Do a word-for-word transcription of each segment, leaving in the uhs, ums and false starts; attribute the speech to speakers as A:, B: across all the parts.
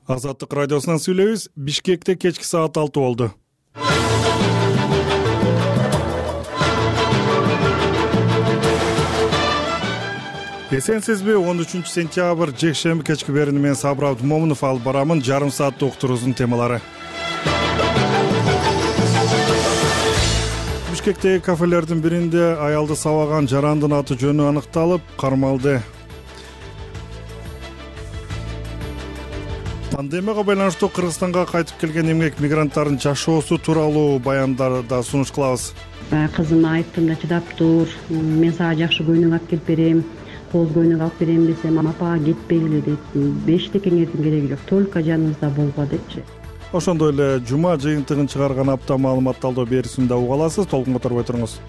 A: Азаттык радиосунан сүйлөйбүз. Бишкекте кечки саат алты болду. Эсенсизби? он үчүнчү сентябрь жекшемби кечки берини менен Сабыр Абдымомунов алып барамын. Жарым сааттык уктуруубуздун темалары. Бишкектеги кафелердин биринде аялды сабаган жарандын аты жөнү аныкталып, кармалды. Пандемияга байланыштуу Кыргызстанга кайтып келген эмгек мигранттардын жашоосу тууралуу баяндарды сунуш кылабыз.
B: Кызыма айттым да, чыдап тур, мен сага жакшы көйнөк алып келип берем, кооз көйнөк алып берем десем, апа кетпегиле дейт. Бешти кеңердин кереги жок, только жаныбызда болбо депчи.
A: Ошондой эле жума жыйынтыгын чыгарган апта маалымат талдоо берүүсүндө уга аласыз. Толкун которбой туруңуз.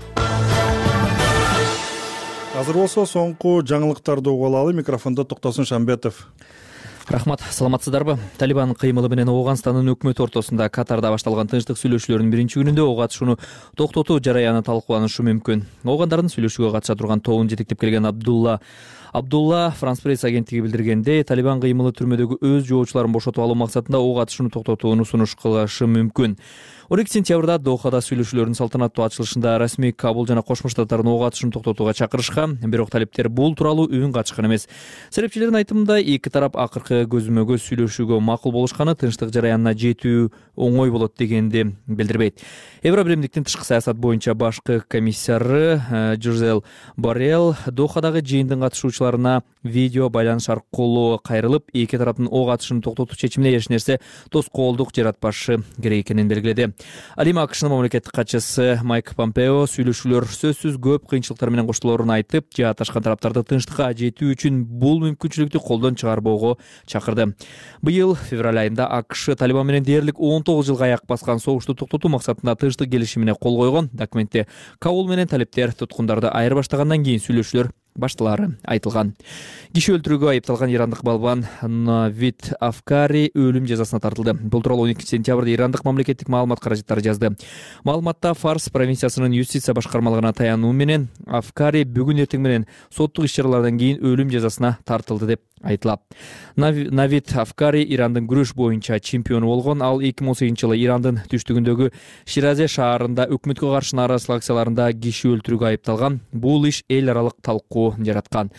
A: Азыр болсо соңку жаңылыктарды уга алалы. Микрофондо Токтосун Шамбетов.
C: Рахмат, саламатсыздарбы? Талибан кыймылы менен Ооганстандын өкмөтү ортосунда Катарда башталган тынчтык сүйлөшүүлөрүнүн биринчи күнүндө ок атышууну токтотуу жараяны талкууланышы мүмкүн. Оогандардын сүйлөшүүгө катыша турган тобун жетектеп келген Абдулла Абдулла Франс пресс агенттиги билдиргендей, Талибан кыймылы түрмөдөгү өз жоочуларын бошотуп алуу максатында ок атышууну токтотууну сунуш кылышы мүмкүн. он экинчи сентябрда Дохада сүйлөшүүлөрдүн салтанаттуу ачылышында расмий Кабул жана Кошмо Штаттардын ок атышууну токтотууга чакырышкан, бирок талептер бул тууралуу үн качкан эмес. Серепчилердин айтымында, эки тарап акыркы көзмө көз сүйлөшүүгө макул болушканы тынчтык жараянына жетүү оңой болот дегенди билдирбейт. Евробиримдиктин тышкы саясат боюнча башкы комиссары Жозел Боррелл Дохадагы жыйындын катышуучуларына видео байланыш аркылуу кайрылып, эки тараптын ок атышын токтотуу чечимине эч нерсе тоскоолдук жаратпашы керек экенин белгиледи. Ал эми АКШнын мамлекеттик катчысы Майк Помпео сүйлөшүүлөр сөзсүз көп кыйынчылыктар менен коштолоорун айтып, жааташкан тараптарды тынчтыкка жетүү үчүн бул мүмкүнчүлүктү колдон чыгарбоого чакырды. Быйыл февраль айында АКШ Талибан менен дээрлик он тогуз жылга аяк баскан согушту токтотуу максатында тынчтык келишимине кол койгон. Документте Кабул менен талептер туткундарды айырбаштагандан кийин сүйлөшүүлөр башталары айтылган. Киши өлтүрүүгө айыпталган ирандык балбан Навид Афкари өлүм жазасына тартылды. Бул тууралуу он экинчи сентябрда ирандык мамлекеттик маалымат каражаттары жазды. Маалыматта Фарс провинциясынын юстиция башкармалыгына таянуу менен Афкари бүгүн эртең менен соттук иш-чаралардан кийин өлүм жазасына тартылды деп айтылат. Навид Афкари Ирандын күрөш боюнча чемпиону болгон. Ал эки миң он сегизинчи жылы Ирандын түштүгүндөгү Ширазе шаарында өкмөткө каршы нааразычылык акцияларында киши өлтүрүүгө айыпталган. Бул иш эл аралык талкуу жараткан.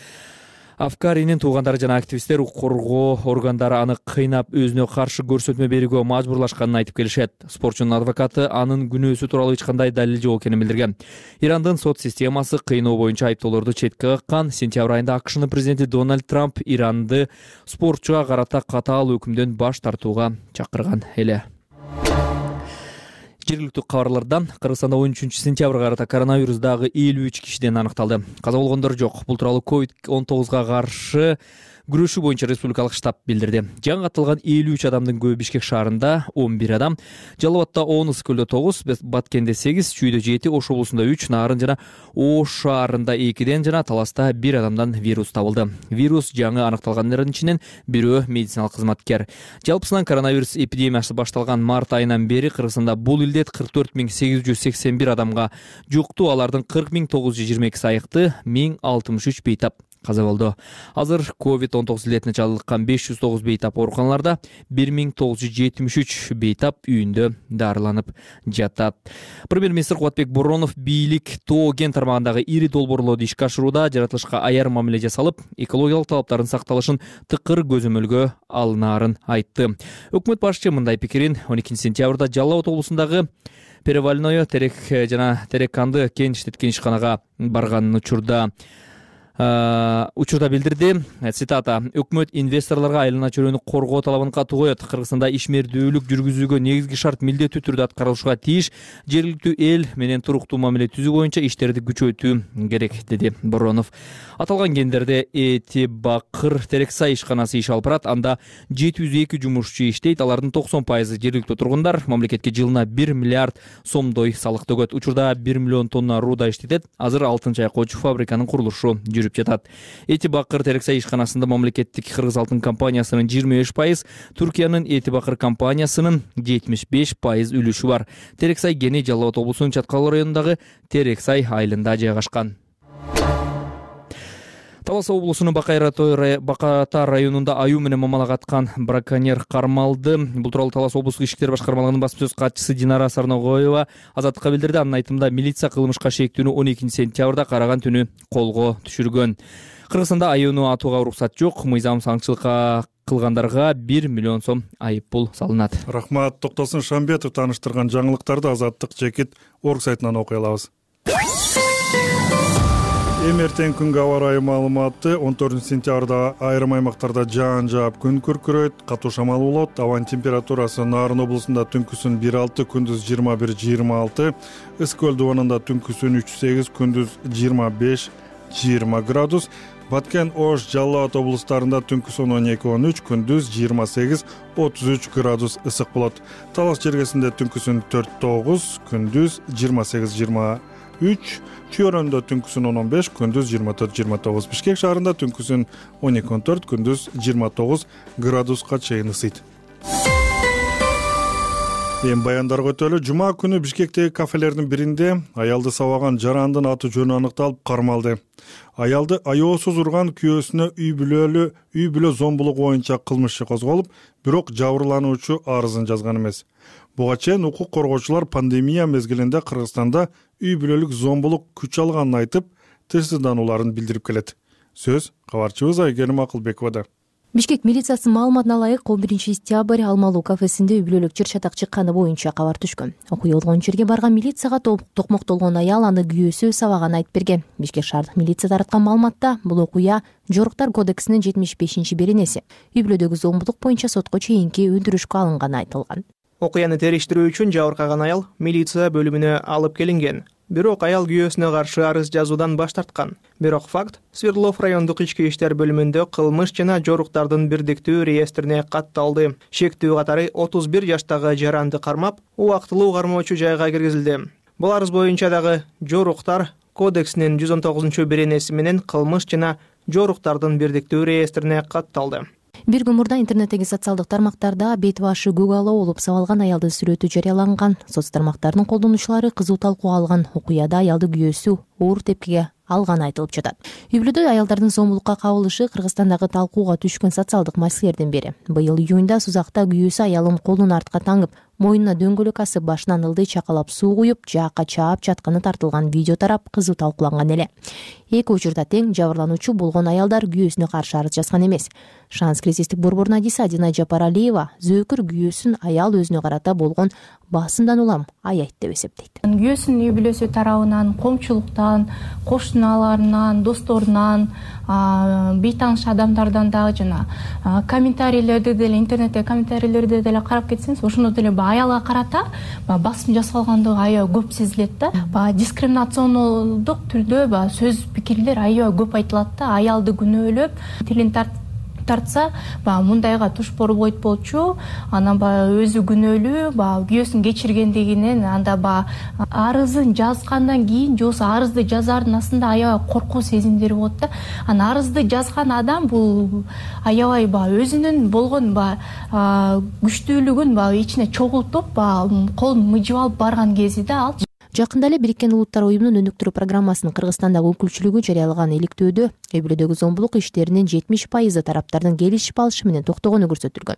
C: Афкаринин туугандары жана активисттер укук коргоо органдары аны кыйнап, өзүнө каршы көрсөтмө берүүгө мажбурлашканын айтып келишет. Спортчунун адвокаты анын күнөөсү тууралуу эч кандай далил жок экенин билдирген. Ирандын сот системасы кыйноо боюнча айыптоолорду четке каккан. Сентябрь айында АКШнын президенти Дональд Трамп Иранды спортчуга карата катаал өкүмдөн баш тартууга чакырган эле. Жергиликтүү кабарлардан Кыргызстанда он үчүнчү сентябрга карата коронавирус дагы элүү үч кишиден аныкталды. Каза болгондор жок. Бул тууралуу ковид он тогузга каршы күрөшүү боюнча республикалык штаб билдирди. Жаңы катталган элүү үч адамдын көбү Бишкек шаарында он бир адам, Жалал абадда он, Ысык-Көлдө тогуз, Баткенде сегиз, Чүйдө жети, Ош облусунда үч, Нарын жана Ош шаарында экиден жана Таласта бир адамдан вирус табылды. Вирус жаңы аныкталгандардын ичинен бирөө медициналык кызматкер. Жалпысынан коронавирус эпидемиясы башталган март айынан бери Кыргызстанда бул илдет кырк төрт миң сегиз жүз сексен бир адамга жукту. Алардын кырк миң тогуз жүз жыйырма экиси айыкты, миң алтымыш үч бейтап каза болду. Азыр ковид он тогуз илетине чалдыккан беш жүз тогуз бейтап ооруканаларда, бир миң тогуз жүз жетимиш үч бейтап үйүндө дарыланып жатат. Премьер-министр Кубатбек Боронов бийлик тоо кен тармагындагы ири долбоорлорду ишке ашырууда жаратылышка аяр мамиле жасалып, экологиялык талаптардын сакталышын тыкыр көзөмөлгө алынаарын айтты. Өкмөт башчы мындай пикирин он экинчи сентябрда Жалал абад облусундагы Перевальное терек жана Терекканды кен иштеткен ишканага барганын учурда учурда билдирди. Цитата: өкмөт инвесторлорго айлана чөлөнү коргоо талабын катуу коет. Кыргызстанда ишмердүүлүк жүргүзүүгө негизги шарт милдеттүү түрдө аткарылышка тийиш. Жергиликтүү эл менен туруктуу мамиле түзүү боюнча иштерди күчөтүү керек, деди Боронов. Аталган кендерде Эти Бакыр Терексай ишканасы иш алып барат. Анда жети жүз эки жумушчу иштейт. Алардын токсон пайызы жергиликтүү тургундар. Мамлекетке жылына бир миллиард сомдой салык төгөт. Учурда бир миллион тонна руда иштетет. Азыр алтын чайкоочу фабриканын курулушу жүрүп жатат. Эти Бакыр Терексай ишканасында мамлекеттик Кыргыз алтын компаниясынын жыйырма беш пайыз, Түркиянын Эти Бакыр компаниясынын жетимиш беш пайыз үлүшү бар. Терексай кени Жалал абад облусунун Чаткал районундагы Терексай айылында жайгашкан. Талас облусунун Баката районунда аюу менен мамалак аткан браконьер кармалды. Бул тууралуу Талас облустук ички иштер башкармалыгынын басма сөз катчысы Динара Сарногоева азаттыкка билдирди. Анын айтымында милиция кылмышка шектүүнү он экинчи сентябрда караган түнү колго түшүргөн. Кыргызстанда аюуну атууга уруксат жок. Мыйзам аңчылыкка кылгандарга бир миллион сом айып пул салынат.
A: Рахмат. Токтосун Шамбетов тааныштырган жаңылыктарды Азаттык жекит орг сайтынан окуй алабыз. Эми эртең күнгө аба ырайы маалыматы. он төртүнчү сентябрда айрым аймактарда жаан жаап, күн күркүрөйт, катуу шамал болот. Абанын температурасы Нарын облусунда түнкүсүн бир алты, күндүз жыйырма бир жыйырма алты, Ысык көл дубанында түнкүсүн үч сегиз, күндүз жыйырма беш жыйырма градус. Баткен, Ош, Жалал Абад облустарында түнкүсүн он эки он үч, күндүз жыйырма сегиз отуз үч градус ысык болот. Талас жергесинде түнкүсүн төрт тогуз, күндүз жыйырма сегиз жыйырма үч, Чүйөрөндө түнкүсүн он он беш, күндүз жыйырма төрт жыйырма тогуз, Бишкек шаарында түнкүсүн он эки он төрт, күндүз жыйырма тогуз градуска чейин ысыйт. Эми баяндарга өтөлү. Жума күнү Бишкектеги кафелердин биринде аялды сабаган жарандын аты жөнү аныкталып кармалды. Аялды аяосуз урган күйөөсүнө үй бүлөлү үй бүлө зомбулугу боюнча кылмыш козголуп, бирок жабырлануучу арызын жазган эмес. Буга чейин укук коргоочулар пандемия мезгилинде Кыргызстанда үй бүлөлүк зомбулук күч алганын айтып, тынчсызданууларын билдирип келет. Сөз кабарчыбыз Айгерим Акылбековада.
D: Бишкек милициясынын маалыматына ылайык он биринчи сентябрь Алмалуу кафесинде үй бүлөлүк жыр чатак чыкканы боюнча кабар түшкөн. Окуя болгон жерге барган милицияга токмоктолгон аял аны күйөөсү сабаганын айтып берген. Бишкек шаардык милиция тараткан маалыматта бул окуя Жоруктар кодексинин жетимиш бешинчи беренеси. Үй бүлөдөгү зомбулук боюнча сотко чейинки өндүрүшкө алынганы айтылган.
E: Окуяны териштирүү үчүн жабыркаган аял милиция бөлүмүнө алып келинген. Бирок аял күйөөсүнө каршы арыз жазуудан баш тарткан. Бирок факт Свердлов райондук ички иштер бөлүмүндө кылмыш жана жоруктардын бирдиктүү реестрине катталды. Шектүү катары отуз бир жаштагы жаранды кармап, убактылуу кармоочу жайга киргизилди. Бул арыз боюнча дагы Жоруктар кодексинин жүз он тогузунчу беренеси менен кылмыш жана жоруктардын бирдиктүү реестрине катталды.
D: Бир күн мурда интернеттеги социалдык тармактарда бет башы көк ала болуп сабалган аялдын сүрөтү жарыяланган. Соц тармактарынын колдонуучулары кызуу талкууга алган окуяда аялды күйөөсү оор тепкиге алганы айтылып жатат. Үй бүлөдө аялдардын зомбулукка кабылышы Кыргызстандагы талкууга түшкөн социалдык маселелердин бири. Быйыл июнда Сузакта күйөөсү аялын колун артка таңып, моюнуна дөңгөлөк асып, башынан ылдый чакалап суу куюп, жаакка чаап жатканы тартылган видео тарап кызуу талкууланган эле. Эки учурда тең жабырлануучу болгон аялдар күйөөсүнө каршы арыз жазган эмес. Шанс кризистик борборунун адиси Адина Жапаралиева зөөкүр күйөөсүн аял өзүнө карата болгон басымдан улам аяйт деп эсептейт.
F: Күйөөсүнүн үй бүлөсү тарабынан, коомчулуктан, кошуналарынан, досторунан, бейтааныш адамдардан дагы жана комментарийлерди деле интернетте комментарийлерди деле карап кетсеңиз, ошондо деле аялга карата басым жасалгандыгы аябай көп сезилет да. Баягы дискриминациондук түрдө баягы сөз пикирлер аябай көп айтылат да. Аялды күнөөлөп, тилин тартса, баягы мындайга туш болбойт болчу, анан баягы өзү күнөөлүү, баягы күйөөсүн кечиргендигинен, анда баягы арызын жазгандан кийин же болбосо арызды жазардын астында аябай коркуу сезимдери болот да. Анан арызды жазган адам бул аябай баягы өзүнүн болгон баягы күчтүүлүгүн баягы ичине чогултуп, баягы колун мыжып алып барган кези да ал.
D: Жакында эле Бириккен Улуттар уюмунун өнүктүрүү программасынын Кыргызстандагы өкүлчүлүгү жарыялаган иликтөөдө үй бүлөдөгү зомбулук иштеринин жетимиш пайызы тараптардын келишип алышы менен токтогону көрсөтүлгөн.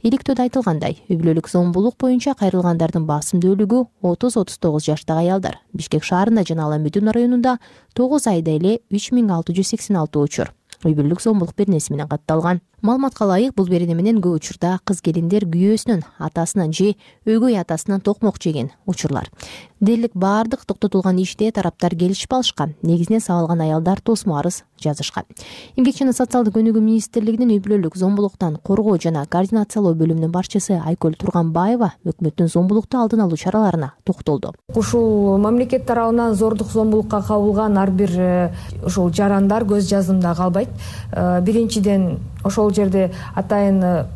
D: Иликтөөдө айтылгандай, үй бүлөлүк зомбулук боюнча кайрылгандардын басымдуулугу отуз отуз тогуз жаштагы аялдар. Бишкек шаарында жана Ала Медюна районунда тогуз айда эле үч миң алты жүз сексен алты учур үй бүлөлүк зомбулук беренеси менен катталган. Маалыматка ылайык, бул берене менен көп учурда кыз келиндер күйөөсүнөн, атасынан же өгөй атасынан токмок жеген учурлар. Дээрлик баардык токтотулган иште тараптар келишип алышкан. Негизинен сабалган аялдар тосмо арыз жазышкан. Эмгек жана социалдык өнүгүү министрлигинин үй бүлөлүк зомбулуктан коргоо жана координациялоо бөлүмүнүн башчысы Айкөл Турганбаева өкмөттүн зомбулукту алдын алуу чараларына токтолду.
G: Ушул мамлекет тарабынан зордук зомбулукка кабылган ар бир ушул жарандар көз жаздымда калбайт. Биринчиден ошол жерде атайын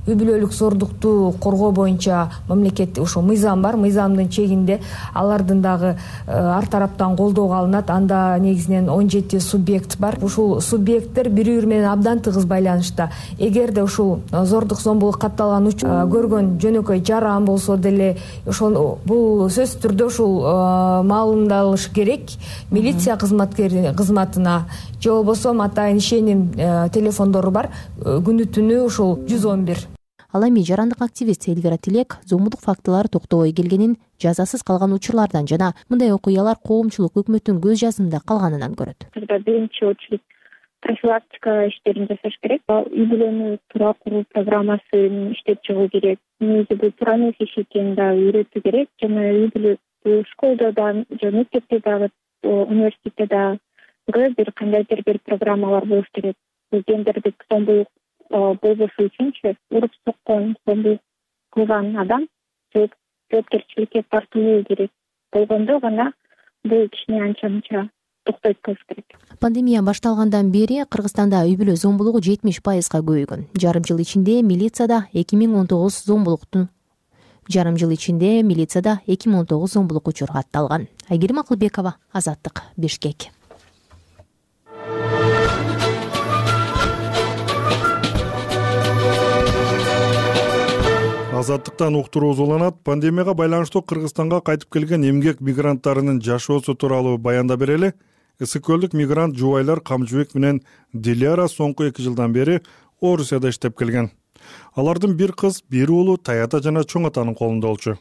G: үй бүлөлүк зордукту коргоо боюнча мамлекет ошо мыйзам бар. Мыйзамдын чегинде алардын дагы ар тараптан колдоого алынат. Анда негизинен он жети субъект бар. Ушул субъекттер бири бири менен абдан тыгыз байланышта. Эгерде ушул зордук зомбулук катталган учур көргөн жөнөкөй жаран болсо деле ошол бул сөзсүз түрдө ушул маалымдалыш керек милиция кызматкери кызматына, же болбосо атайын ишеним телефондору бар. Күнү түнү ушул жүз он бир.
D: Ал эми жарандык активист Эльвира Тилек зомбулук фактылары токтобой келгенин, жазасыз калган учурлардан жана мындай окуялар коомчулук өкмөттүн көз жазымында калганынан көрөт.
H: Биринчи очередь профилактика иштерин жасаш керек. Үй бүлөнү туура куруу программасын иштеп чыгуу керек. Негизи бул туура эмес иш экенин да үйрөтүү керек. Жана үй бүлө школдо да, же мектепте дагы, университетте дагы бир кандайдыр бир программалар болуш керек. Гендердик зомбулук болбошу үчүнчү уруп соккон, зомбулук кылган адам жоопкерчиликке тартылуу керек. Болгондо гана бул кичине анча мынча токтойт болуш керек.
D: Пандемия башталгандан бери Кыргызстанда үй бүлө зомбулугу жетимиш пайызга көбөйгөн. Жарым жыл ичинде милицияда эки миң он тогуз зомбулуктун Жарым жыл ичинде милицияда эки миң он тогуз зомбулук учуру катталган. Айгерим Акылбекова, Азаттык, Бишкек.
A: Азаттыктан уктуруу уланат. Пандемияга байланыштуу Кыргызстанга кайтып келген эмгек мигранттарынын жашоосу тууралуу баяндап берели. Ысык көлдүк мигрант жубайлар Камчыбек менен Диляра соңку эки жылдан бери Орусияда иштеп келген. Алардын бир кыз, бир уулу Таята жана Чоң атанын колунда болчу.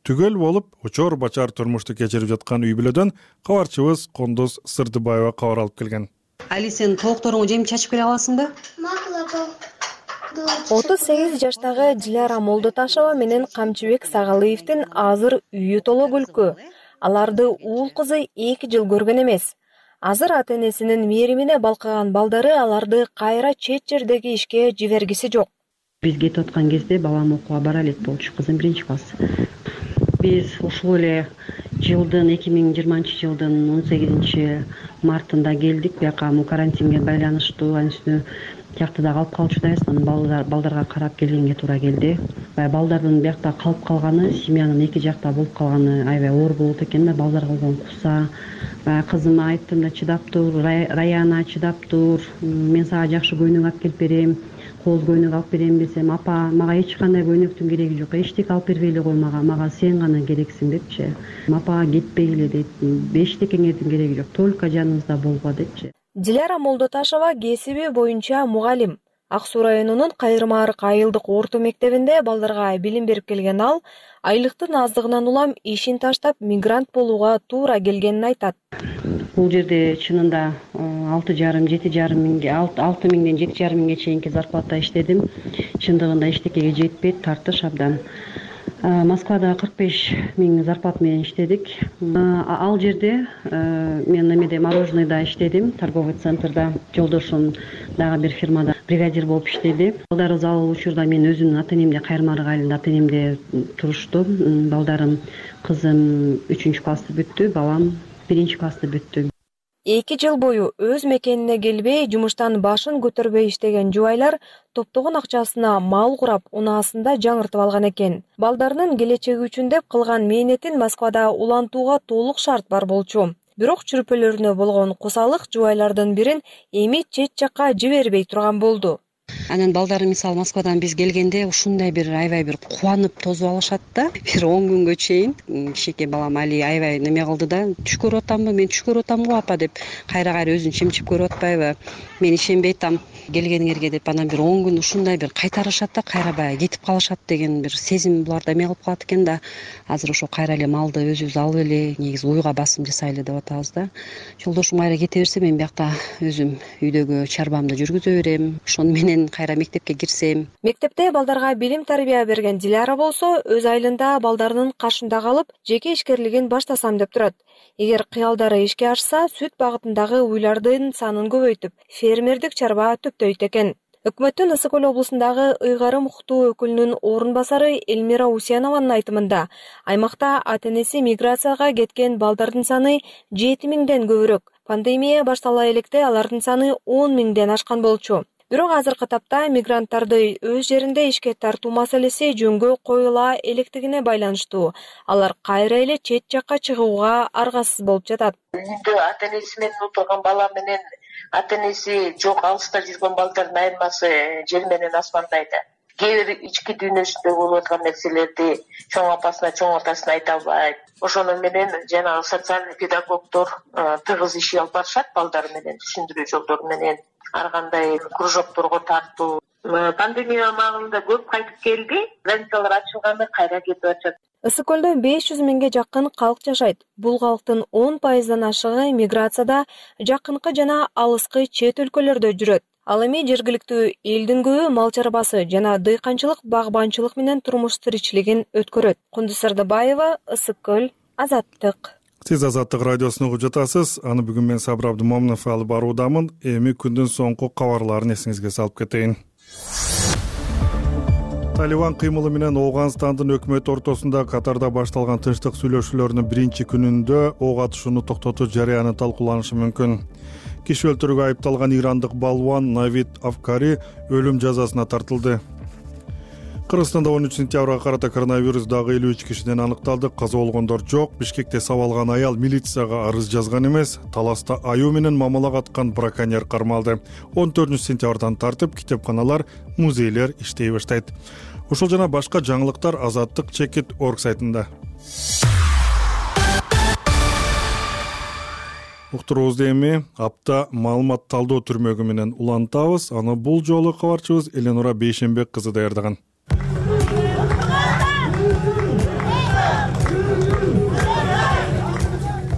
A: Түгөл болуп, учор бачар турмушту кечирип жаткан үй бүлөдөн кабарчыбыз Кондуз Сырдыбаева кабар алып келген.
I: Али, сен толукторуңду жемип чачып келе аласыңбы?
J: отуз сегиз жаштагы Диляра Молдоташева менен Камчыбек Сагалыевдин азыр үйү толо күлкү. Аларды уул кызы эки жыл көргөн эмес. Азыр ата-энесинин мээримине балкыган балдары аларды кайра чет жердеги ишке жибергиси жок.
B: Биз кетип аткан кезде балам окууга бара элек болчу, кызым биринчи класс. Биз ушул эле жылдын эки миң жыйырманчы жылдын он сегизинчи мартында келдик. Бияка карантинге байланыштуу, анын үстүнө жактыда калып калчубайбыз. Анан балдар балдарга карап келгенге туура келди. Баягы балдардын биякта калып калганы, семьянын эки жакта болуп калганы аябай оор болот экен да. Балдар кылган куса. Баягы кызыма айттым да, чыдап тур, Раяна, чыдап тур. Мен сага жакшы көйнөк алып келип берем. Кооз көйнөк алып берем десем, апа, мага эч кандай көйнөктүн кереги жок. Эчтеке алып бербейли кой мага. Мага сен гана керексиң депчи. Апа, кетпегиле дейт. Эчтекеңердин кереги жок. Только жаныбызда болго депчи.
J: Диляра Молдоташева кесиби боюнча мугалим. Ак Суу районунун Кайрма Арык айылдык орто мектебинде балдарга билим берип келген ал, айлыктын аздыгынан улам ишин таштап мигрант болууга туура келгенин айтат.
B: Бул жерде чынында алты жарым жети жарым миңге алты миңден жети жарым миңге чейинки зарплата иштедим. Чындыгында эчтекеге жетпейт, тартыш абдан. Москвада кырк беш миң зарплата менен иштедик. Ал жерде мен немеде мороженыйда иштедим, торговый центрда. Жолдошум дагы бир фирмада бригадир болуп иштеди. Балдарыбыз ал учурда мен өзүмдүн ата-энемде Кайрма Арык айылында ата-энемде турушту. Балдарым, кызым үчүнчү классты бүттү, балам биринчи классты бүттү.
J: Эки жыл бою өз мекенине келбей, жумуштан башын көтөрбөй иштеген жубайлар топтогон акчасына мал курап, унаасында жаңыртып алган экен. Балдарынын келечеги үчүн деп кылган мээнетин Москвада улантууга толук шарт бар болчу. Бирок чүрпөлөрүнө болгон кусалык жубайлардын бирин эми чет жакка жибербей турган болду.
I: Анан балдары мисалы Москвадан биз келгенде ушундай бир аябай бир кубанып тосуп алышат да. Бир он күнгө чейин кичике балам Али аябай неме кылды да, түш көрүп атамбы, мен түш көрүп атам го апа деп кайра-кайра өзүн чимчип көрүп атпайбы? Мен ишенбей атам келгениңерге деп. Анан бир он күн ушундай бир кайтарышат да, кайра баягы кетип калышат деген бир сезим буларда эме кылып калат экен да. Азыр ошо кайра эле малды өзүбүз алып эле, негизи уйга басым жасайлы деп атабыз да. Жолдошум кайра кете берсе, мен биякта өзүм үйдөгү чарбамды жүргүзө берем. Ошону менен кайра мектепке кирсем.
J: Мектепте балдарга билим тарбия берген Диляра болсо, өз айылында балдарынын кашында калып, жеке ишкерлигин баштасам деп турат. Эгер кыялдары ишке ашса, сүт багытындагы уйлардын санын көбөйтүп, фермердик чарба төптөйт экен. Өкмөттүн Ысык Көл облусундагы ыйгарым укуктуу өкүлүнүн орун басары Элмира Усянованын айтымында, аймакта ата-энеси миграцияга кеткен балдардын саны жети миңден көбүрөөк. Пандемия баштала электе алардын саны он миңден ашкан болчу. Бирок азыркы тапта мигранттарды өз жеринде ишке тартуу маселеси жөнгө коюла электигине байланыштуу. Алар кайра эле чет жакка чыгууга аргасыз болуп жатат.
K: Үйдө ата энеси менен отурган бала менен ата энеси жок алыста жүргөн балдардын айырмасы жер менен асмандай да. Кээ бир ички дүйнөсүндө болуп аткан нерселерди чоң апасына, чоң атасына айта албайт. Ошону менен жанагы социалдык педагогдор тыгыз иш алып барышат балдар менен, түшүндүрүү жолдору менен, ар кандай кружокторго тартуу. Пандемия маалында көп кайтып келди, границалар ачылганда кайра кетип атышат.
J: Ысык көлдө беш жүз миңге жакын калк жашайт. Бул калктын он пайыздан ашыгы миграцияда жакынкы жана алыскы чет өлкөлөрдө жүрөт. Ал эми жергиликтүү элдин көбү мал чарбасы жана дыйканчылык, багбанчылык менен турмуш тиричилигин өткөрөт. Кундуз Сардыбаева, Ысык көл, Азаттык.
A: Сиз Азаттык радиосун угуп жатасыз. Аны бүгүн мен Сабыр Абдымомунов алып баруудамын. Эми күндүн соңку кабарларын эсиңизге салып кетейин. Талибан кыймылы менен Ооганстандын өкмөтү ортосунда Катарда башталган тынчтык сүйлөшүүлөрүнүн биринчи күнүндө ок атышууну токтотуу жарыяны талкууланышы мүмкүн. Киши өлтүрүүгө айыпталган ирандык балуан Навид Афкари өлүм жазасына тартылды. Кыргызстанда он үч сентябрга карата коронавирус дагы элүү үч кишиден аныкталды. Каза болгондор жок. Бишкекте сабалган аял милицияга арыз жазган эмес. Таласта аюу менен мамалак аткан браконьер кармалды. он төртүнчү сентябрдан тартып китепканалар, музейлер иштей баштайт. Ушул жана башка жаңылыктар Азаттык чекит точка орг сайтында. Уктуруубузду эми апта маалымат талдоо түрмөгү менен улантабыз. Аны бул жолу кабарчыбыз Эленура Бейшенбек кызы даярдаган.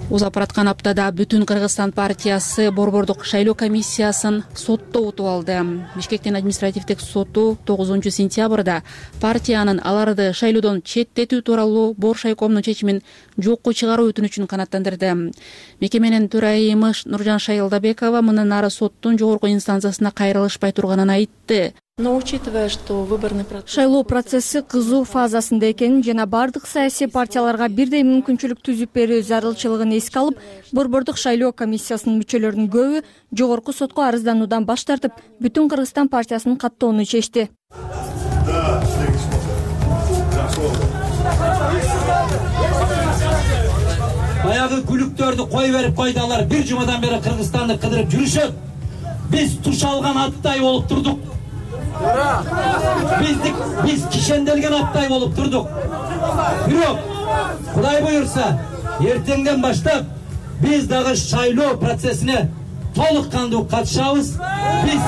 L: Узап бараткан аптада Бүтүн Кыргызстан партиясы Борбордук шайлоо комиссиясын сотто утуп алды. Бишкектин административдик соту тогузунчу сентябрда партиянын аларды шайлоодон четтетүү тууралуу Боршайкомдун чечимин жокко чыгаруу өтүнүчүн канааттандырды. Мекеменин төрайымы Нуржан Шайылдабекова мындан ары соттун жогорку инстанциясына кайрылышпай турганын айтты.
M: Но учитывая, что выборный процесс...
N: Шайлоо процесси кызуу фазасында экенин жана бардык саясий партияларга бирдей мүмкүнчүлүк түзүп берүү зарылчылыгын эске алып, Борбордук шайлоо комиссиясынын мүчөлөрүнүн көбү жогорку сотко арыздануудан баш тартып, Бүтүн Кыргызстан партиясынын каттоону чечти.
O: Баягы күлүктөрдү кой берип койду, алар бир жумадан бери Кыргызстанды кыдырып жүрүшөт. Биз туш алган аттай болуп турдук. Биздик биз кишенделген аттай болуп турдук. Бирок Кудай буйрса, эртеңден баштап биз дагы шайлоо процессине толук кандуу катышабыз. Биз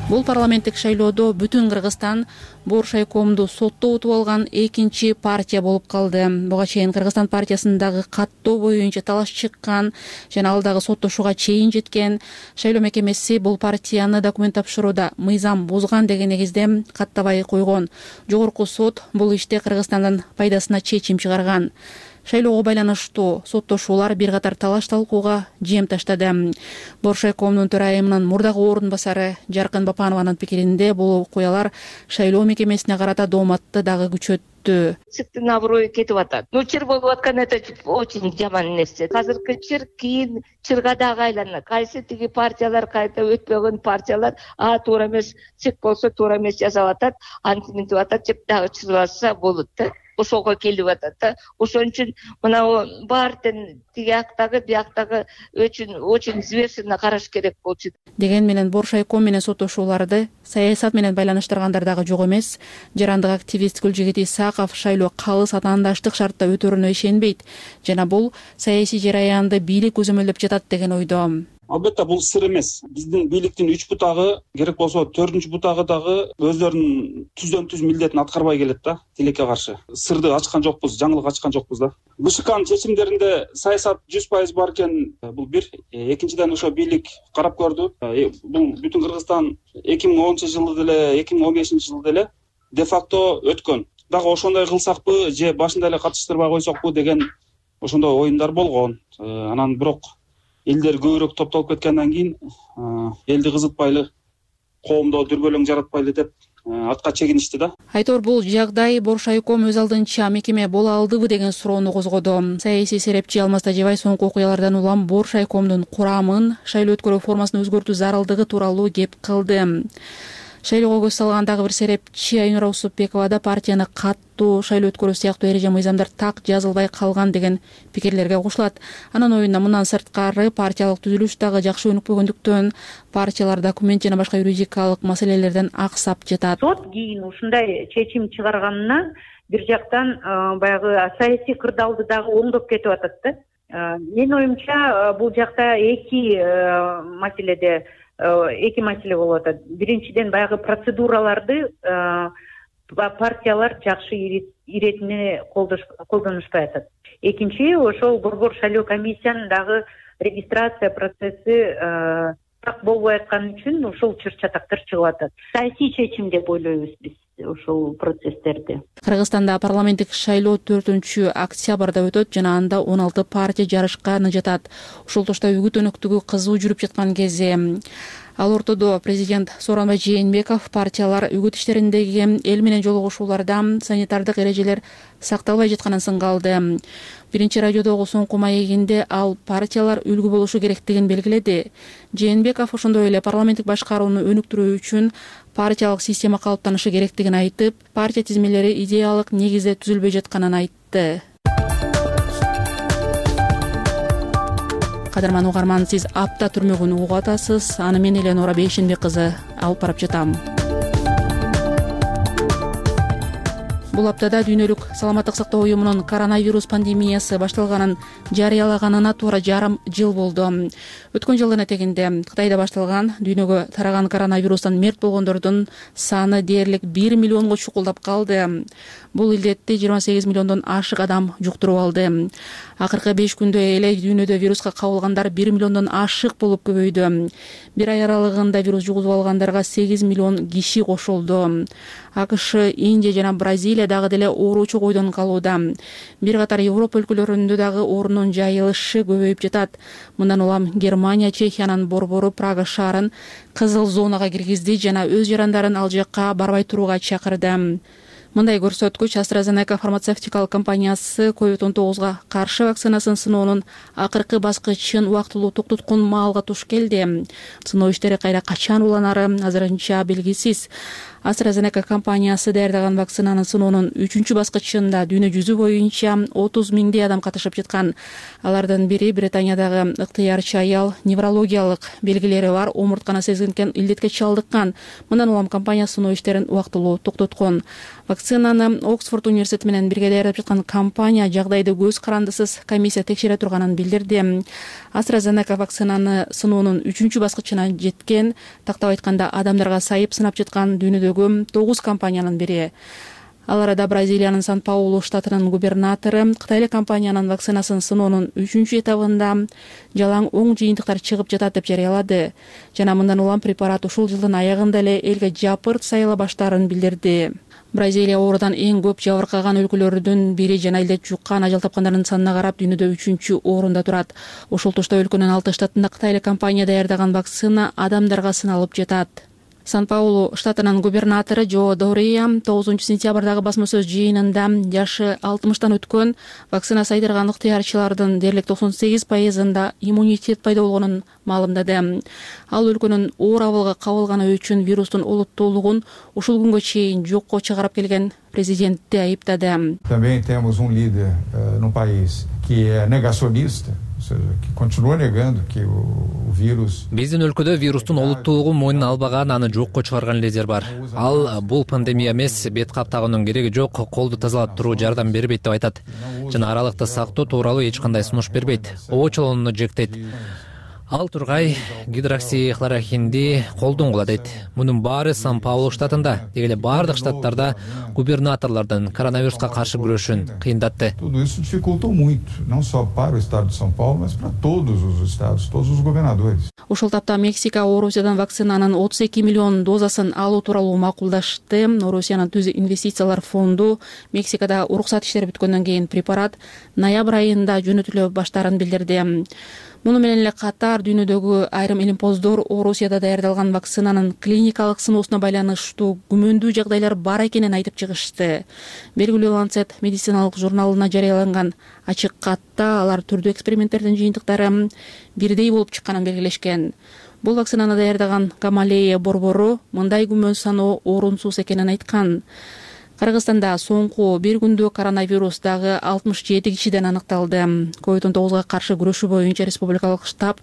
L: Бул парламенттик шайлоодо Бүтүн Кыргызстан Боршайкомду сотто утуп алган экинчи партия болуп калды. Буга чейин Кыргызстан партиясындагы каттоо боюнча талаш чыккан жана ал дагы соттошууга чейин жеткен. Шайлоо мекемеси бул партияны документ тапшырууда мыйзам бузган деген негизде каттабай койгон. Жогорку сот бул иште Кыргызстандын пайдасына чечим чыгарган. Шайлоого байланыштуу соттошуулар бир катар талаш талкууга жем таштады. Боршайкомдун төрайымынын мурдагы орун басары Жаркын Бапанованын пикиринде бул окуялар шайлоо мекемесине карата дооматты дагы күчөттү.
K: Цыктын аброю кетип атат. Ну, чыр болуп аткан это очень жаман нерсе. Азыркы чыр кийин чырга дагы айланат. Кайсы тиги партиялар, кайта өтпөгөн партиялар, а туура эмес, цик болсо туура эмес жасап атат, антип мынтип атат деп дагы чырбаса болот да. Ошого келип атат да. Ошон үчүн мына баардын тиги жактагы, бияктагы очень очень взвешенно караш керек болчу.
L: Деген менен Боршайком менен соттошууларды саясат менен байланыштыргандар дагы жок эмес. Жарандык активист Гүлжигит Исаков шайлоо калыс атаандаштык шартта өтөрүнө ишенбейт жана бул саясий жараянды бийлик көзөмөлдөп жатат деген ойдо.
P: Албетте бул сыр эмес. Биздин бийликтин үч бутагы, керек болсо төртүнчү бутагы дагы өздөрүнүн түздөн түз милдетин аткарбай келет да, тилекке каршы. Сырды ачкан жокпуз, жаңылык ачкан жокпуз да. БШКнын чечимдеринде саясат жүз пайыз бар экен, бул бир. Экинчиден ошо бийлик карап көрдү. Бул Бүтүн Кыргызстан эки миң онунчу жылы деле, эки миң он бешинчи жылы деле де факто өткөн. Дагы ошондой кылсакпы же башында эле катыштырбай койсокпу деген ошондой оюндар болгон. Анан бирок элдер көбүрөөк топтолуп кеткенден кийин элди кызытпайлы, коомдо дүрбөлөң жаратпайлы деп артка чегиништи да.
L: Айтор бул жагдай Боршайком өз алдынча мекеме боло алдыбы деген суроону козгоду. Саясий серепчи Алмаз Тажибаев соңку окуялардан улам Боршайкомдун курамын, шайлоо өткөрүү формасын өзгөртүү зарылдыгы тууралуу кеп кылды. Шайлоого көз салган дагы бир серепчи Айнура Усупбекова да партияны каттуу шайлоо өткөрүү сыяктуу эреже мыйзамдар так жазылбай калган деген пикирлерге кошулат. Анын оюнда мындан сырткары партиялык түзүлүш дагы жакшы өнүкпөгөндүктөн партиялар документ жана башка юридикалык маселелерден аксап жатат.
Q: Сот кийин ушундай чечим чыгарганына бир жактан баягы саясий кырдаалды дагы оңдоп кетип атат да. Менин оюмча бул жакта эки маселеде эки маселе болуп атат. Биринчиден баягы процедураларды партиялар жакшы иретине колдонушпай атат. Экинчи, ошол борбор шайлоо комиссиянын дагы регистрация процесси так болбой аткан үчүн ушул чыр-чатактар чыгып атат. Саясий чечим деп ойлойбуз биз ушул процесстерди.
L: Кыргызстанда парламенттик шайлоо төртүнчү октябрда өтөт жана анда он алты партия жарышканы жатат. Ушул тошто үгүт өнөктүгү кызуу жүрүп жаткан кезде ал ортодо президент Сооронбай Жээнбеков партиялар үгүт иштериндеги эл менен жолугушууларда санитардык эрежелер сакталбай жатканын сынга алды. Биринчи радиодогу соңку маегинде ал партиялар үлгү болушу керектигин белгиледи. Жээнбеков ошондой эле парламенттик башкарууну өнүктүрүү үчүн партиялык система калыптанышы керектигин айтып, партия тизмелери идеялык негизде түзүлбөй жатканын айтты. Кадырман угарман, сиз апта түрмөгүн угуп атасыз. Аны мен Эленора Бейшенбек кызы алып барып жатам. Бул аптада дүйнөлүк саламаттык сактоо уюмунун коронавирус пандемиясы башталганын жарыялаганына туура жарым жыл болду. Өткөн жылдын этегинде Кытайда башталган дүйнөгө тараган коронавирустан мерт болгондордун саны дээрлик бир миллионго чукулдап калды. Бул илдетти жыйырма сегиз миллиондон ашык адам жуктуруп алды. Акыркы беш күндө эле дүйнөдө вируска кабылгандар бир миллиондон ашык болуп көбөйдү. Бир ай аралыгында вирус жугузуп алгандарга сегиз миллион киши кошулду. АКШ, Индия жана Бразилия дагы деле ооручу койдон калууда. Бир катар Европа өлкөлөрүндө дагы оорунун жайылышы көбөйүп жатат. Мындан улам Германия, Чехиянын борбору Прага шаарын кызыл зонага киргизди жана өз жарандарын ал жакка барбай турууга чакырды. Мындай көрсөткүч AstraZeneca фармацевтикалык компаниясы ковид он тогузга каршы вакцинасын сыноонун акыркы баскычын убактылуу токтоткон маалга туш келди. Сыноо иштери кайра качан уланары азырынча белгисиз. AstraZeneca компаниясы даярдаган вакцинанын сыноонун үчүнчү баскычында дүйнө жүзү боюнча отуз миңдей адам катышып жаткан. Алардын бири Британиядагы ыктыярчы аял, неврологиялык белгилери бар, омуртканы сезгинкен илдетке чалдыккан. Мындан улам компания сыноо иштерин убактылуу токтоткон. Вакцинаны Оксфорд университети менен бирге даярдап жаткан компания жагдайды көз карандысыз комиссия текшере турганын билдирди. AstraZeneca вакцинаны сыноонун үчүнчү баскычына жеткен, тактап айтканда адамдарга сайып сынап жаткан дүйнөдөгү тогуз компаниянын бири. Ал арада Бразилиянын Сан-Паулу штатынын губернатору Кытайлык компаниянын вакцинасын сыноонун үчүнчү этабында жалаң оң жыйынтыктар чыгып жатат деп жарыялады. Жана мындан улам препарат ушул жылдын аягында эле элге жапырт сайыла баштаарын билдирди. Бразилия оорудан эң көп жабыркаган өлкөлөрдүн бири жана илдет жуккан, ажал тапкандардын санына карап дүйнөдө үчүнчү орунда турат. Ошол тошто өлкөнүн алты штатында Кытайлык компания даярдаган вакцина адамдарга сыналып жатат. Сан-Паулу штатынын губернатору Джо Дория тогузунчу сентябрдагы басма сөз жыйынында жашы алтымыштан өткөн вакцина сайдырган ыктыярчылардын дээрлик токсон сегиз пайызында иммунитет пайда болгонун маалымдады. Ал өлкөнүн оор абалга кабылганы үчүн вирустун олуттуулугун ушул күнгө чейин жокко чыгарып келген президентти айыптады.
R: Também temos um líder no país que é negacionista.
C: Биздин өлкөдө вирустун олуттуулугун мойнуна албаган, аны жокко чыгарган лидер бар. Ал бул пандемия эмес, бет каптагынын кереги жок, колду тазалап туруу жардам бербейт деп айтат. Жана аралыкты сактоо тууралуу эч кандай сунуш бербейт. Оочолоону жектейт. Ал тургай гидроксихлорохинди колдонгула дейт. Мунун баары Сан-Паулу штатында, деги эле бардык штаттарда губернаторлордун коронавируска каршы күрөшүн кыйындатты.
R: Tudo isso dificultou muito, não só para o estado de São Paulo, mas para todos os estados, todos os governadores.
L: Ушул тапта Мексика Орусиядан вакцинанын отуз эки миллион дозасын алуу тууралуу макулдашты. Орусиянын түз инвестициялар фонду Мексикада уруксат иштери бүткөндөн кийин препарат ноябрь айында жөнөтүлө баштаарын билдирди. муну менен эле катар дүйнөдөгү айрым илимпоздор Орусияда даярдалган вакцинанын клиникалык сыноосуна байланыштуу күмөндүү жагдайлар бар экенин айтып чыгышты. Белгилүү Lancet медициналык журналына жарыяланган ачык катта алар түрдүү эксперименттердин жыйынтыктары бирдей болуп чыкканын белгилешкен. Бул вакцинаны даярдаган Гамалея борбору мындай күмөн саноо орунсуз экенин айткан. Кыргызстанда соңку бир күндө коронавирус дагы алтымыш жети кишиден аныкталды. ковид он тогузга каршы күрөшүү боюнча республикалык штаб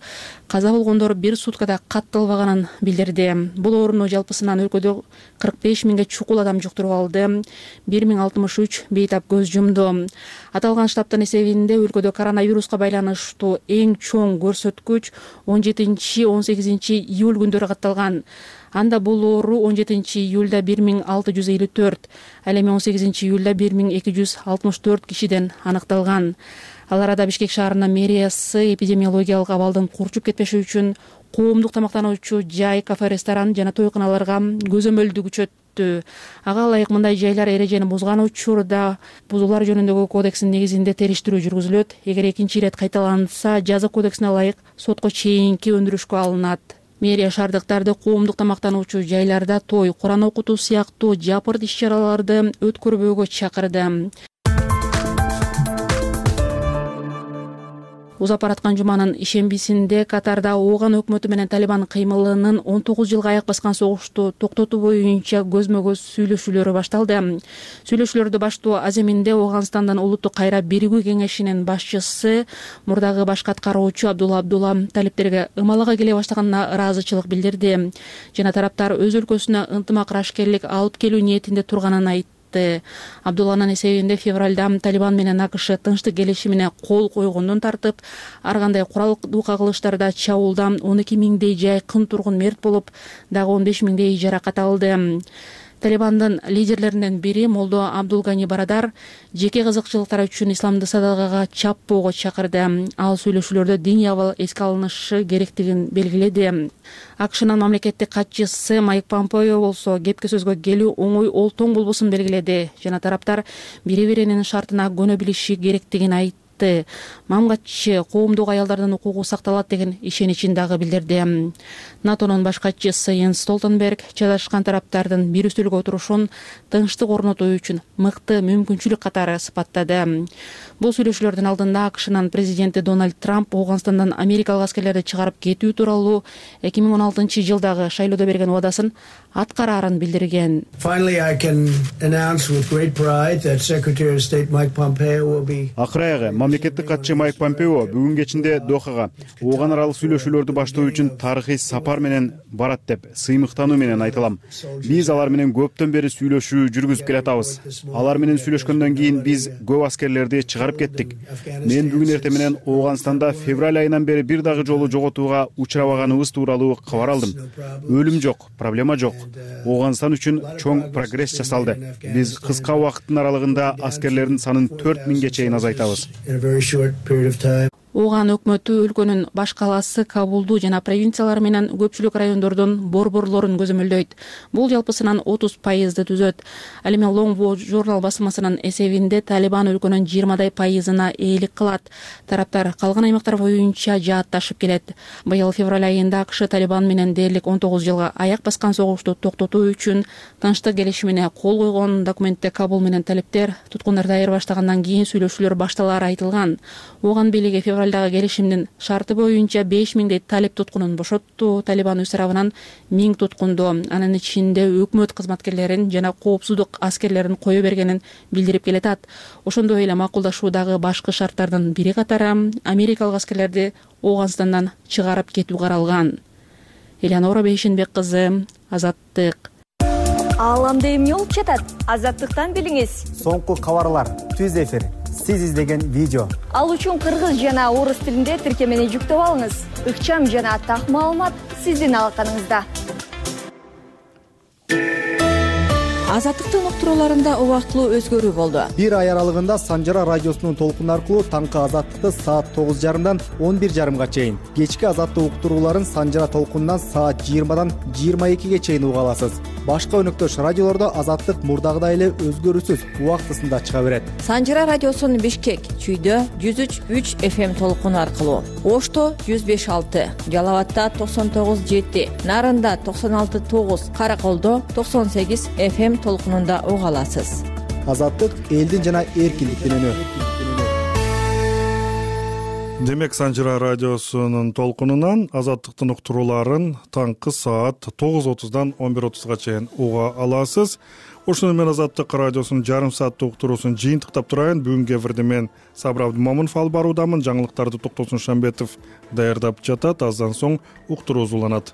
L: каза болгондор бир суткада катталбаганын билдирди. Бул ооруну жалпысынан өлкөдө кырк беш миңге чукул адам жуктуруп алды. бир миң алтымыш үч бейтап көз жумду. Аталган штабтын эсебинде өлкөдө коронавируска байланыштуу эң чоң көрсөткүч он жетинчи он сегизинчи июль күндөрү катталган. Анда бул оору он жетинчи июлда бир миң алты жүз элүү төрт, ал эми он сегизинчи июлда бир миң эки жүз алтымыш төрт кишиден аныкталган. Ал арада Бишкек шаарынын мэриясы эпидемиологиялык абалдын курчуп кетпеши үчүн коомдук тамактануучу жай, кафе, ресторан жана тойканаларга көзөмөлдү күчөттү. Ага ылайык мындай жайлар эрежени бузган учурда бузуулар жөнүндөгү кодекстин негизинде териштирүү жүргүзүлөт. Эгер экинчи ирет кайталанса, жаза кодексине ылайык сотко чейинки өндүрүшкө алынат. Мэрия шаардыктарды коомдук тамактануучу жайларда той, Куран окутуу сыяктуу жапырт иш-чараларды өткөрбөөгө чакырды. Узап бараткан жуманын ишембисинде Катарда Ооган өкмөтү менен Талибан кыймылынын он тогуз жылга аяк баскан согушту токтотуу боюнча көзмө-көз сүйлөшүүлөрү башталды. Сүйлөшүүлөрдү баштоо аземинде Ооганстандын улуттук кайра биригүү кеңешинин башчысы мурдагы башкы аткаруучу Абдулла Абдулла талиптерге ымалага келе баштаганына ыраазычылык билдирди жана тараптар өз өлкөсүнө ынтымак ырашкерлик алып келүү ниетинде турганын айтты. Абдулланын эсебинде февралда Талибан менен АКШ тынчтык келишимине кол койгондон тартып, ар кандай куралдуу кагылыштарда чабуулда он эки миңдей жайкын тургун мерт болуп, дагы он беш миңдей жаракат алды. Талибандын лидерлеринен бири Молдо Абдулгани Барадар жеке кызыкчылыктар үчүн исламды садагага чаппоого чакырды. Ал сүйлөшүүлөрдө диний абал эске алынышы керектигин белгиледи. АКШнын мамлекеттик катчысы Майк Помпео болсо кепке сөзгө келүү оңой олтоң болбосун белгиледи жана тараптар бири-биринин шартына көнө билиши керектигин айтты. Мамгатчы коомдук аялдардын укугу сакталат деген ишеничин дагы билдирди. НАТОнун баш катчысы Йенс Столтенберг чаташкан тараптардын бир үстөлгө отурушун тынчтык орнотуу үчүн мыкты мүмкүнчүлүк катары сыпаттады. Бул сүйлөшүүлөрдүн алдында АКШнын президенти Дональд Трамп Ооганстандан америкалык аскерлерди чыгарып кетүү тууралуу эки миң он алтынчы жылдагы шайлоодо берген убадасын аткараарын билдирген.
S: Акыры мамлекеттик катчы Майк Помпео бүгүн кечинде Дохага Ооган аралык сүйлөшүүлөрдү баштоо үчүн тарыхый сапар менен барат деп сыймыктануу менен айтылам. Биз алар менен көптөн бери сүйлөшүү жүргүзүп келатабыз. Алар менен сүйлөшкөндөн кийин биз көп аскерлерди чыгарып кеттик. Мен бүгүн эртең менен Ооганстанда февраль айынан бери бир дагы жолу жоготууга учурабаганыбыз тууралуу кабар алдым. Өлүм жок, проблема жок. Ооганстан үчүн чоң прогресс жасалды. Биз кыска убакыттын аралыгында аскерлердин санын төрт миңге чейин азайтабыз.
L: Ооган өкмөтү өлкөнүн баш калаасы Кабулду жана провинциялар менен көпчүлүк райондордун борборлорун көзөмөлдөйт. Бул жалпысынан отуз пайызды түзөт. Ал эми Longwood журнал басмасынын эсебинде Талибан өлкөнүн жыйырмадай пайызына ээлик кылат. Тараптар калган аймактар боюнча жаатташып келет. Быйыл февраль айында АКШ Талибан менен дээрлик он тогуз жылга аяк баскан согушту токтотуу үчүн тынчтык келишимине кол койгон. Документте Кабул менен талиптер туткундарды айыр баштагандан кийин сүйлөшүүлөр башталары айтылган. Ооган бийлиги февралдагы келишимдин шарты боюнча беш миңдей талип туткунун бошотту. Талибан өз тарабынан миң туткунду, анын ичинде өкмөт кызматкерлерин жана коопсуздук аскерлерин кое бергенин билдирип келатат. Ошондой эле макулдашуудагы башкы шарттардын бири катары америкалык аскерлерди Ооганстандан чыгарып кетүү каралган. Элеонора Бейшенбек кызы, Азаттык.
N: Ааламда эмне болуп жатат? Азаттыктан билиңиз.
T: Соңку кабарлар, түз эфир, сиз издеген видео.
N: Ал үчүн кыргыз жана орус тилинде тиркемени жүктөп алыңыз. Ыкчам жана так маалымат сиздин алаканыңызда.
U: азаттыктын уктурууларында убактылуу өзгөрүү болду.
T: Бир ай аралыгында Санжара радиосунун толкуну аркылуу таңкы азаттыкты саат тогуз жарымдан он бир жарымга чейин, кечки азаттык уктурууларын Санжара толкунунан саат жыйырмадан жыйырма экиге чейин уга аласыз. Башка өнөктөш радиолордо азаттык мурдагыдай эле өзгөрүүсүз убактысында чыга берет.
U: Санжара радиосунун Бишкек, Чүйдө жүз үч үч эф эм толкуну аркылуу, Ошто жүз беш алты, Жалал абадта токсон тогуз жети, Нарында токсон алты тогуз, Караколдо токсон сегиз эф эм толкунунда уга аласыз.
T: Азаттык элдин жана эркиндиктин үнү.
A: Демек, Санжара радиосунун толкунунан азаттыктын уктурууларын таңкы саат тогуз отуздан он бир отузга чейин уга аласыз. Ошону менен Азаттык радиосунун жарым сааттык уктуруусун жыйынтыктап турайын. Бүгүнкү эфирде мен Сабыр Абдымомунов алып баруудамын. Жаңылыктарды Токтосун Шамбетов даярдап жатат. Аздан соң уктуруу уланат.